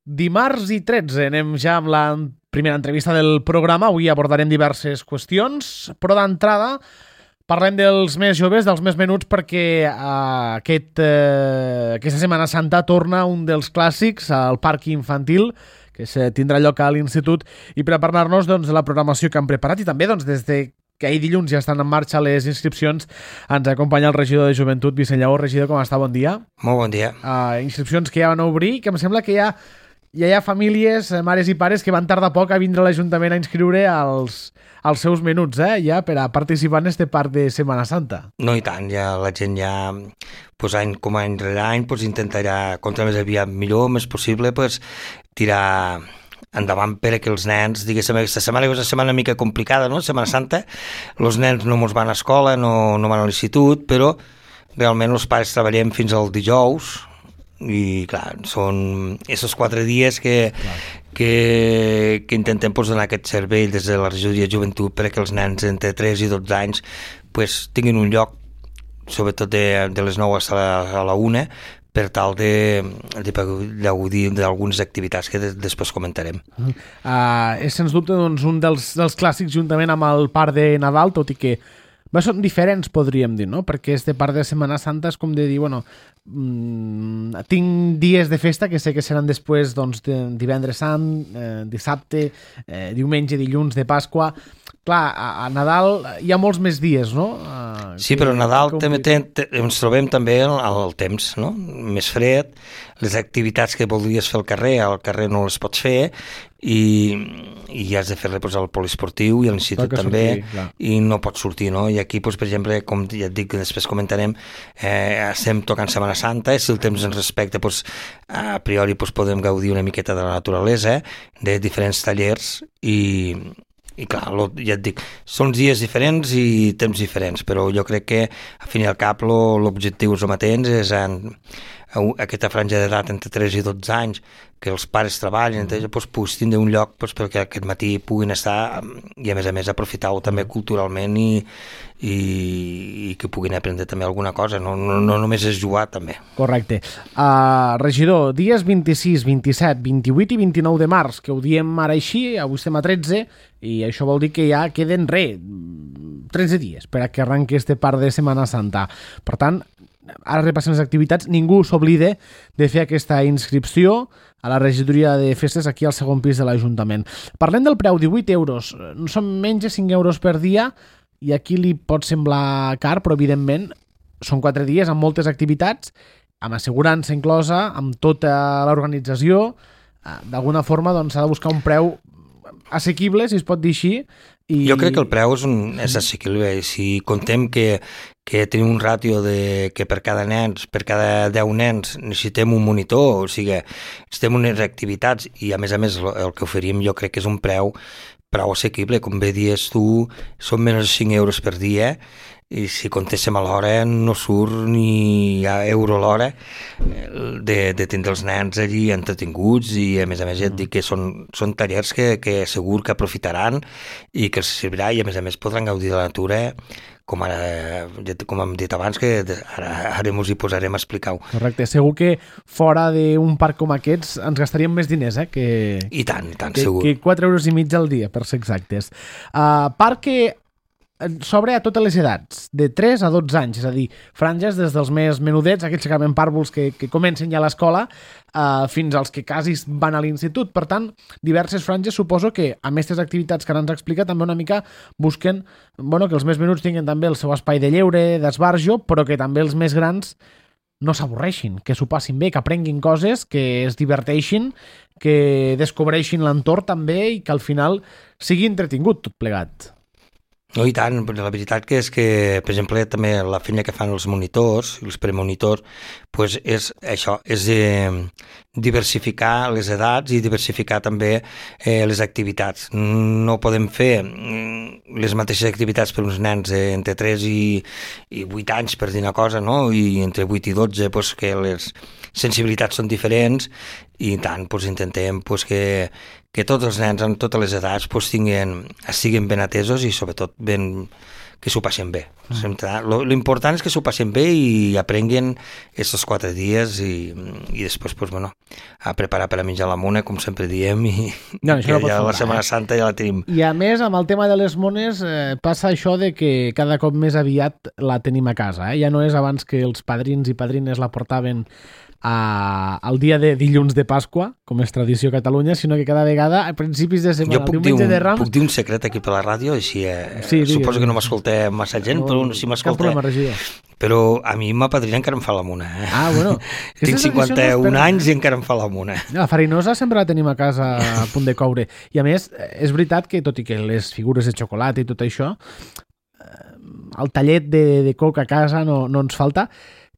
Dimarts i 13 anem ja amb la primera entrevista del programa. Avui abordarem diverses qüestions, però d'entrada parlem dels més joves, dels més menuts, perquè aquesta Setmana Santa torna un dels clàssics al parc infantil, que tindrà lloc a l'Institut, i per a parlar-nos de la programació que han preparat i també des de que ahir dilluns ja estan en marxa les inscripcions, ens acompanya el regidor de Joventut, Vicent Lleó. Regidor, com està? Bon dia. Molt bon dia. Inscripcions que ja van obrir, que em sembla que ja hi ha famílies, mares i pares, que van tardar poc a vindre a l'Ajuntament a inscriure els seus menuts, ja per a participar en este parc de Setmana Santa. No, i tant, ja la gent ja, any rere any, intentarà, contra més aviat millor, més possible, tirar endavant per que els nens, diguéssim, aquesta setmana és una setmana una mica complicada, no?, Setmana Santa, els nens no mos van a escola, no van a l'institut, però realment els pares treballem fins al dijous, i clar, són aquests 4 dies que intentem donar aquest servei des de la regidoria de Joventut perquè els nens entre 3 i 12 anys tinguin un lloc, sobretot de les 9 a la 1, per tal de gaudir d'algunes activitats que després comentarem. És sens dubte un dels clàssics juntament amb el parc de Nadal, tot i que són diferents, podríem dir, no? Perquè este parc de Setmana Santa és com de dir, tinc dies de festa que sé que seran després divendres sant, dissabte, diumenge, dilluns de Pasqua. Clar, a Nadal hi ha molts més dies, no? Sí, però a Nadal també ens trobem també al temps, no? Més fred, les activitats que voldries fer al carrer no les pots fer i has de fer-les al poliesportiu i a l'institut també, i no pots sortir, no? I aquí, per exemple, com ja et dic, després comentarem, estem tocant Setmana Santa, si el temps ens respecta, a priori podem gaudir una miqueta de la naturalesa, de diferents tallers i clar, ja et dic, són dies diferents i temps diferents, però jo crec que al fin i al cap l'objectiu és el mateix, és aquesta franja d'edat entre 3 i 12 anys que els pares treballen, puguis tindre un lloc perquè aquest matí puguin estar i a més aprofitar-ho també culturalment i que puguin aprendre també alguna cosa, no només és jugar també. Correcte. Regidor, dies 26, 27, 28 i 29 de març, que ho diem ara així, avui estem a 13 i això vol dir que ja queden 13 dies per a que arrenqui este parc de Setmana Santa. Per tant, ara repassem les activitats, ningú s'oblide de fer aquesta inscripció a la regidoria de festes aquí al segon pis de l'Ajuntament. Parlem del preu, 18 euros, són menys de 5 euros per dia i aquí li pot semblar car, però evidentment són 4 dies amb moltes activitats, amb assegurança inclosa, amb tota l'organització. D'alguna forma s'ha de buscar un preu assequible, si es pot dir així. Jo crec que el preu és assequible. Si contem que tenim un ràtio que per cada 10 nens necessitem un monitor, o sigui, necessitem unes activitats i a més el que oferim jo crec que és un preu prou assequible. Com bé dius tu, són menys de 5 euros per dia i si contéssim a l'hora no surt ni a euro l'hora de tindre els nens allí entretinguts i a més ja et dic que són tallers que segur que aprofitaran i que els servirà i a més podran gaudir de la natura com hem dit abans, que ara ens hi posarem a explicar-ho. Correcte, segur que fora d'un parc com aquests ens gastaríem més diners, I tant, segur. Que 4,5 euros al dia, per ser exactes. Parc que s'obre a totes les edats, de 3 a 12 anys, és a dir, franges des dels més menudets, aquells que acaben pàrvuls que comencen ja a l'escola, fins als que quasi van a l'institut. Per tant, diverses franges, suposo que amb aquestes activitats que ara ens explica també una mica busquen que els més menuts tinguin també el seu espai de lleure, d'esbarjo, però que també els més grans no s'avorreixin, que s'ho passin bé, que aprenguin coses, que es diverteixin, que descobreixin l'entorn també i que al final sigui entretingut tot plegat. No, i tant, la veritat que és que, per exemple, també la feina que fan els monitors, els premonitors, és això, és diversificar les edats i diversificar també les activitats. No podem fer les mateixes activitats per uns nens entre 3 i 8 anys, per dir una cosa, no? I entre 8 i 12, que les sensibilitats són diferents i tant doncs, intentem doncs, que tots els nens en totes les edats doncs, estiguin ben atesos i sobretot que s'ho passin bé. L'important és que s'ho passin bé i aprenguin aquests 4 dies i després pues, bueno, a preparar per a menjar la mona, com sempre diem, i no, que ja la Setmana Santa ja la tenim. I a més, amb el tema de les mones, passa això de que cada cop més aviat la tenim a casa. Ja no és abans que els padrins i padrines la portaven al dia de dilluns de Pasqua, com és tradició a Catalunya, sinó que cada vegada a principis de setmana, diumenge de Rams... Puc dir un secret aquí per la ràdio? Així, suposo que no m'escolta massa gent, però si m'escolta... Cap problema, regidor. Però a mi ma padrina encara em fa la mona. Ah, bueno. Tinc 51 anys i encara em fa la mona. La farinosa sempre la tenim a casa a punt de coure. I a més, és veritat que, tot i que les figures de xocolata i tot això, el tallet de coca a casa no ens falta.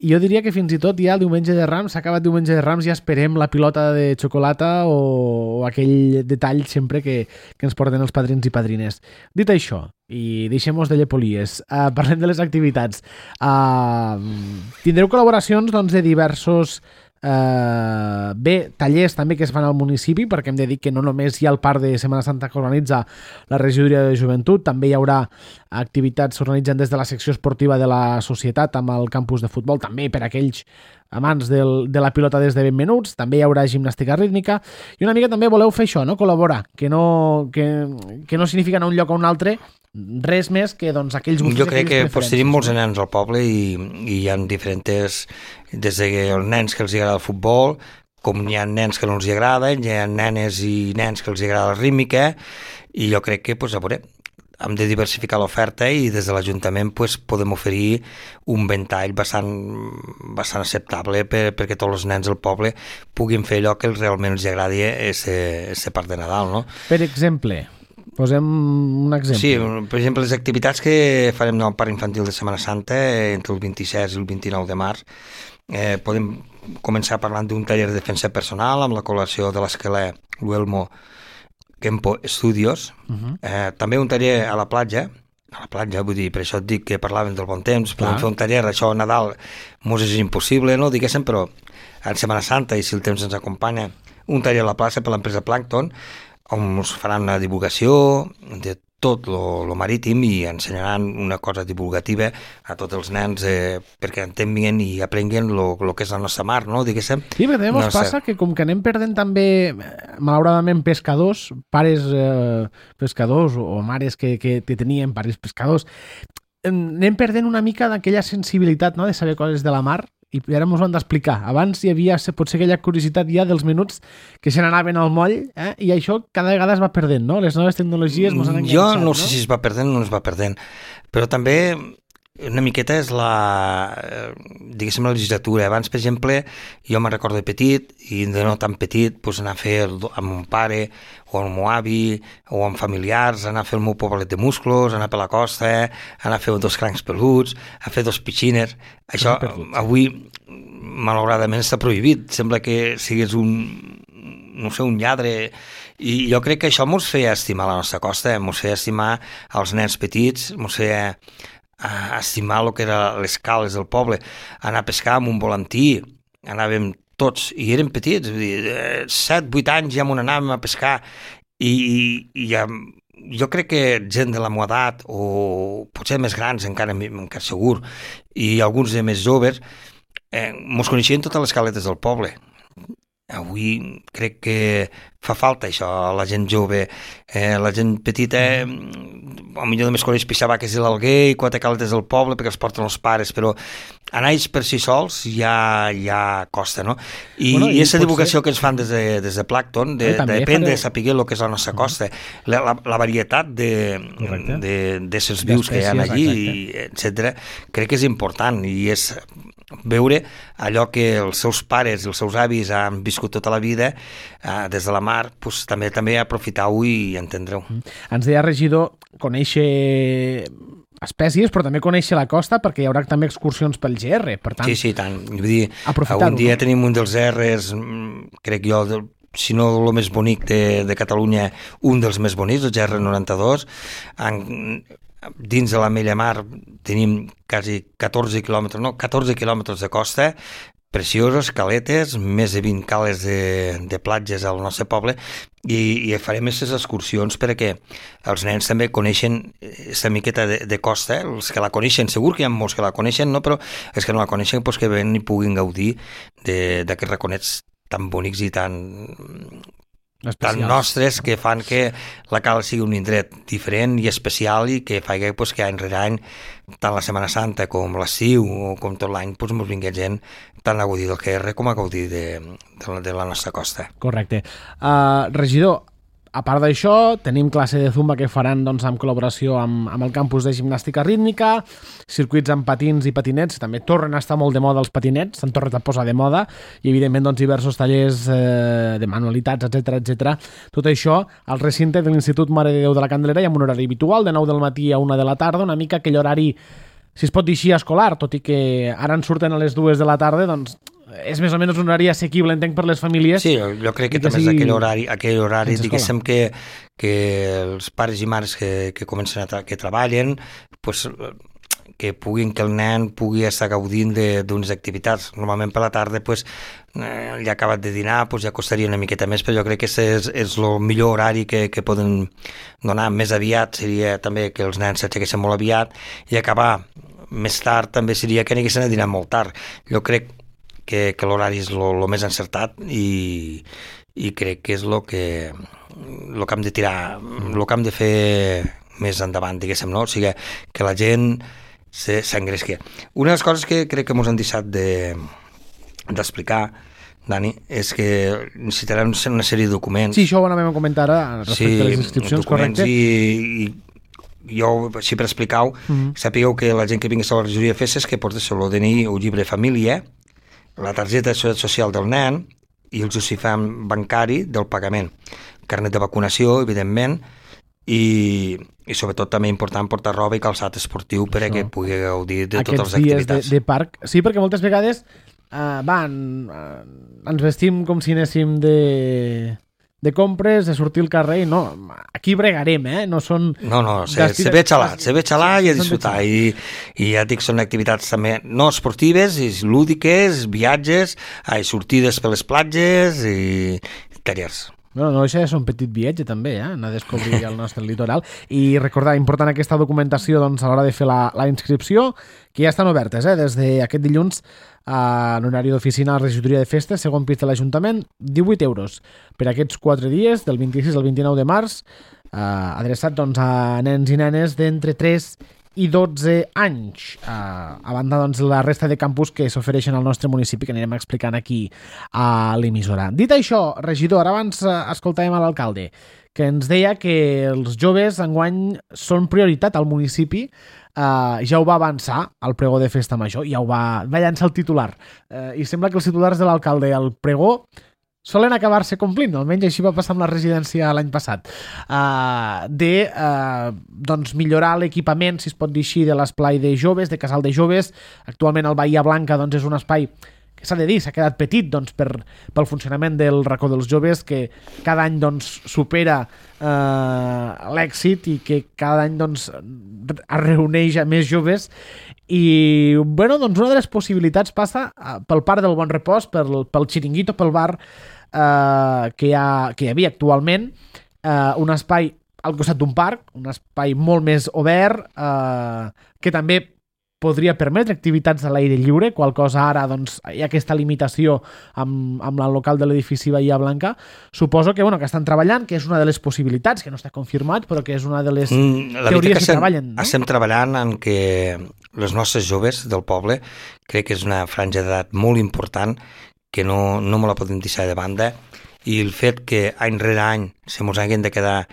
I jo diria que fins i tot ja el diumenge de Rams, s'ha acabat diumenge de Rams, ja esperem la pilota de xocolata o aquell detall sempre que ens porten els padrins i padrines. Dit això, i deixem-nos de llepolies, parlem de les activitats. Tindreu col·laboracions doncs, de diversos tallers també que es fan al municipi, perquè hem de dir que no només hi ha el parc de Setmana Santa que organitza la regidoria de joventut, també hi haurà activitats que s'organitzen des de la secció esportiva de la societat amb el campus de futbol, també per aquells amants de la pilota des de ben menuts, també hi haurà gimnàstica rítmica i una mica també voleu fer això, no? Col·laborar, que no significa anar un lloc a un altre, res més que doncs, aquells gustos. Jo crec que tenim molts nens al poble i hi ha diferents, des dels nens que els agrada el futbol, com hi ha nens que no els agrada, hi ha nenes i nens que els agrada la rítmica, i jo crec que a veure, hem de diversificar l'oferta i des de l'Ajuntament podem oferir un ventall bastant acceptable perquè tots els nens del poble puguin fer allò que realment els agradi ser part de Nadal, no? Per exemple, posem un exemple. Sí, per exemple, les activitats que farem al Parc Infantil de Setmana Santa entre el 26 i el 29 de març, podem començar parlant d'un taller de defensa personal amb la col·laboració de l'Esquelè Luelmo Kempo Studios, també un taller a la platja, vull dir, per això et dic que parlaven del bon temps, podem fer un taller, això a Nadal mos és impossible, no, diguéssim, però en Setmana Santa, i si el temps ens acompanya, un taller a la plaça per l'empresa Plankton, on us faran una divulgació de tot lo marítim i ensenyaran una cosa divulgativa a tots els nens perquè entenguin i aprenguin lo que és la nostra mar, no? Diguéssim. Sí, perquè també passa que com que anem perdent també, malauradament, pescadors, pares pescadors o mares que tenien pares pescadors, anem perdent una mica d'aquella sensibilitat, no?, de saber coses de la mar, i ara ens ho han d'explicar. Abans hi havia potser aquella curiositat ja dels minuts que se n'anaven al moll, i això cada vegada es va perdent, no? Les noves tecnologies ens han enganxat. Jo no sé si es va perdent o no es va perdent, però també una miqueta és diguéssim, la legislatura. Abans, per exemple, jo me'n recordo de petit, i de no tan petit, anar a fer amb mon pare o amb el meu avi o amb familiars, anar a fer el meu poblet de musclos, anar per la costa, anar a fer 2 crancs peluts, a fer 2 piscines. Això avui, malauradament, està prohibit. Sembla que siguis un lladre. I jo crec que això mos feia estimar la nostra costa, mos feia estimar els nens petits, mos feia estimar el que eren les cales del poble, anar a pescar amb un volantí, anàvem tots, i érem petits, 7-8 anys ja m'on anàvem a pescar, i jo crec que gent de la meva edat, o potser més grans encara segur, i alguns de més joves, mos coneixien totes les caletes del poble. Avui crec que fa falta això, la gent jove, la gent petita, potser només coneix pixabaques de l'Alguer i 4 caletes del poble perquè els porten els pares, però anar ells per si sols ja costa, no? I aquesta divulgació que ens fan des de Plankton, d'aprendre a saber el que és la nostra costa, la varietat d'éssers vius que hi ha allí, etc., crec que és important, i és veure allò que els seus pares i els seus avis han viscut tota la vida des de la mar, també aprofitar-ho i entendre-ho. Ens deia, regidor, conèixer espècies, però també conèixer la costa, perquè hi haurà també excursions pel GR, per tant... Sí, tant. Vull dir, un dia tenim un dels GRs, crec jo, si no el més bonic de Catalunya, un dels més bonics, el GR 92, dins de la Mella Mar tenim quasi 14 quilòmetres de costa, preciosos, caletes, més de 20 cales de platges al nostre poble, i farem aquestes excursions perquè els nens també coneixen aquesta miqueta de costa, els que la coneixen, segur que hi ha molts que la coneixen, no? Però els que no la coneixen pues que ven i puguin gaudir d'aquests raconets tan bonics i tan nostres, que fan que la cala sigui un indret diferent i especial i que fa que any rere any, tant la Setmana Santa com l'estiu o com tot l'any, ens vingui gent tant a gaudir del QR com a gaudir de la nostra costa. Correcte. Regidor, a part d'això, tenim classe de zumba que faran doncs, en col·laboració amb el campus de gimnàstica rítmica, circuits amb patins i patinets, també tornen a estar molt de moda els patinets, s'han tornat a posar de moda, i evidentment doncs, diversos tallers de manualitats, etc. Tot això al recinte de l'Institut Mare de Déu de la Candelera i amb un horari habitual, de 9 del matí a 1 de la tarda, una mica aquell horari, si es pot dir així, escolar, tot i que ara en surten a les 2 de la tarda, doncs és més o menys un horari assequible, entenc, per les famílies. Sí, jo crec que també és aquell horari diguéssim que els pares i mares que comencen que treballen, pues, que el nen pugui estar gaudint d'unes activitats. Normalment per la tarda ja ha acabat de dinar, ja costaria una miqueta més, però jo crec que és el millor horari que poden donar. Més aviat seria també que els nens s'aixequessin molt aviat, i acabar més tard també seria que anessin a dinar molt tard. Jo crec que l'horari és el més encertat i crec que és el que hem de tirar, el que hem de fer més endavant, diguéssim, no? O sigui, que la gent s'engresqui. Una de les coses que crec que ens han deixat d'explicar, Dani, és que necessitarem una sèrie de documents. Sí, això ho anàvem a comentar ara respecte a les inscripcions, correcte. I jo, així per explicar-ho, sapigueu que la gent que vingui a la regidoria de festes que porta el DNI o llibre de família, la targeta de seguretat social del nen i el justificant bancari del pagament, carnet de vacunació, evidentment, i sobretot també important portar roba i calçat esportiu per a que pugui gaudir de totes les activitats. Aquests dies de parc, sí, perquè moltes vegades ens vestim com si anéssim de compres, de sortir al carrer, i no, aquí bregarem, no són... No, se ve xalar i a disfrutar, i ja et dic, són activitats també no esportives, lúdiques, viatges, sortides per les platges i tallers. No, això és un petit viatge també, anar a descobrir el nostre litoral, i recordar, important aquesta documentació doncs, a l'hora de fer la inscripció, que ja estan obertes, des d'aquest dilluns en horari d'oficina a la regidoria de festes, segon pis de l'Ajuntament, 18 euros per aquests 4 dies, del 26 al 29 de març, adreçat doncs, a nens i nenes d'entre 3 i 12 anys, a banda doncs, la resta de campus que s'ofereixen al nostre municipi, que anirem explicant aquí a l'emissora. Dit això, regidor, ara abans escoltàvem a l'alcalde, que ens deia que els joves enguany són prioritat al municipi. Ja ho va avançar al pregó de Festa Major, ja ho va llançar el titular, i sembla que els titulars de l'alcalde al pregó solen acabar-se complint, almenys així va passar amb la residència l'any passat, doncs millorar l'equipament, si es pot dir així, de l'esplai de joves, de casal de joves. Actualment el Bahia Blanca doncs, és un espai que s'ha de dir, s'ha quedat petit doncs, pel funcionament del racó dels joves, que cada any doncs, supera l'èxit i que cada any doncs, es reuneix a més joves. I bueno, doncs una de les possibilitats passa pel Parc del Bon Repòs, pel xiringuito, pel bar que hi havia actualment, un espai al costat d'un parc, un espai molt més obert, que també podria permetre activitats a l'aire lliure, qual cosa ara doncs, hi ha aquesta limitació amb el local de l'edifici Bahia Blanca. Suposo que, que estan treballant, que és una de les possibilitats, que no està confirmat, però que és una de les teories que treballen. No? Estem treballant en que les nostres joves del poble, crec que és una franja d'edat molt important, que no me la podem deixar de banda, i el fet que any rere any se mos hagin de quedar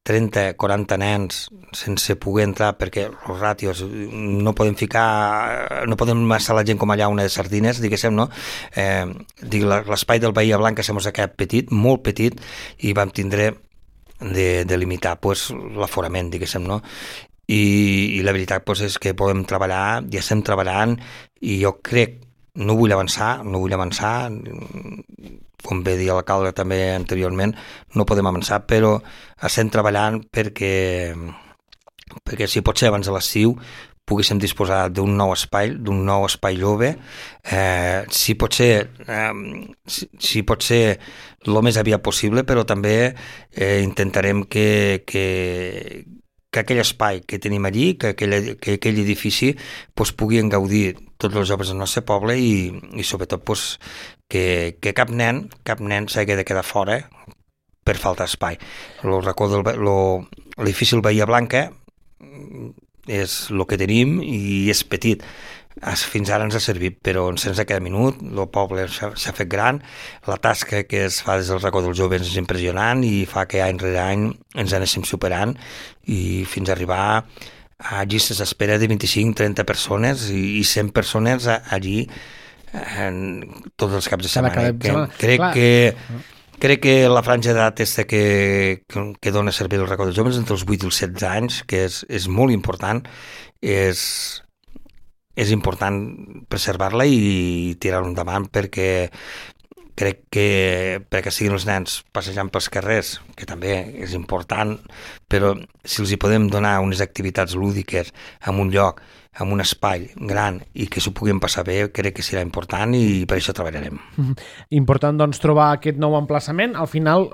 30-40 nens sense poder entrar perquè els ràtios no podem estar la gent com allà una de sardines, diguéssim, no? L'espai del Bahia Blanca se mos ha quedat petit, molt petit, i vam tindre de limitar l'aforament, diguéssim, no? I la veritat és que podem treballar, ja estem treballant, i jo crec, no vull avançar, com bé dir l'alcalde també anteriorment, no podem avançar, però estem treballant perquè si pot ser abans de l'estiu poguéssim disposar d'un nou espai jove, si pot ser el més aviat possible, però també intentarem que aquell espai que tenim allí, que aquell edifici puguin gaudir tots els joves del nostre poble i sobretot que cap nen s'hagi de quedar fora per falta d'espai. L'edifici del Bahia Blanca és el que tenim i és petit. Fins ara ens ha servit, però sense cada minut el poble s'ha fet gran, la tasca que es fa des del racó dels joves és impressionant i fa que any rere any ens anéssim superant i fins a arribar a llistes d'espera de 25-30 persones i 100 persones allí tots els caps de setmana. Crec que la franja d'edat que dona servei al racó dels joves entre els 8 i els 16 anys, que és molt important, és important preservar-la i tirar-la endavant perquè crec que perquè siguin els nens passejant pels carrers, que també és important, però si els hi podem donar unes activitats lúdiques en un lloc, en un espai gran i que s'ho puguin passar bé, crec que serà important i per això treballarem. Important, doncs, trobar aquest nou emplaçament. Al final,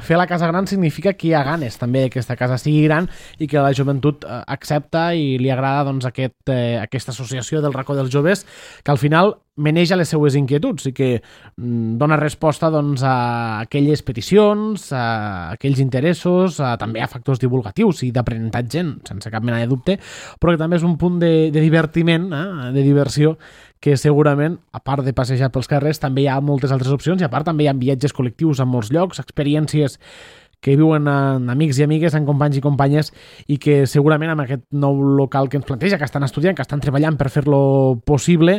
fer la casa gran significa que hi ha ganes també que aquesta casa sigui gran i que la joventut accepta i li agrada doncs, aquesta associació del racó dels joves, que al final maneja les seues inquietuds i que dona resposta doncs, a aquelles peticions, a aquells interessos, també a factors divulgatius i d'aprenentatge, sense cap mena de dubte, però que també és un punt de divertiment, de diversió, que segurament, a part de passejar pels carrers, també hi ha moltes altres opcions i a part també hi ha viatges col·lectius a molts llocs, experiències que viuen amb amics i amigues, amb companys i companyes i que segurament amb aquest nou local que ens planteja, que estan estudiant, que estan treballant per fer-lo possible,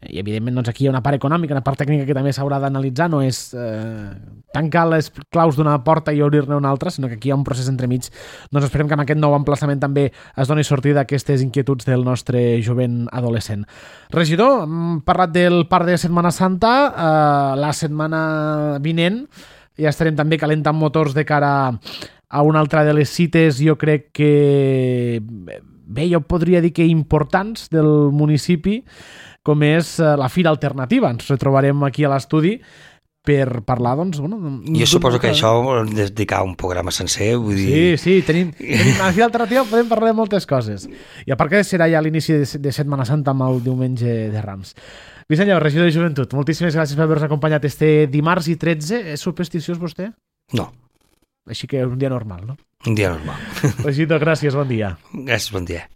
i evidentment doncs, aquí hi ha una part econòmica, una part tècnica que també s'haurà d'analitzar, no és tancar les claus d'una porta i obrir-ne una altra, sinó que aquí hi ha un procés entremig. Doncs esperem que amb aquest nou emplaçament també es doni sortida a aquestes inquietuds del nostre jovent adolescent. Regidor, hem parlat del parc de Setmana Santa, la setmana vinent ja estarem també calentant motors de cara a una altra de les cites, jo crec que bé, jo podria dir que importants del municipi, com és la Fira Alternativa. Ens retrobarem aquí a l'estudi per parlar, doncs... Bueno, jo suposo que això vol dedicar un programa sencer, vull dir... Sí, tenim a la Fira Alternativa podem parlar de moltes coses. I a part que serà ja l'inici de Setmana Santa amb el diumenge de Rams. Vicent, regidor de Joventut, moltíssimes gràcies per haver-nos acompanyat este dimarts i 13. És supersticiós vostè? No. Així que és un dia normal, no? Un dia normal. Regidor, gràcies, bon dia. Gràcies, bon dia.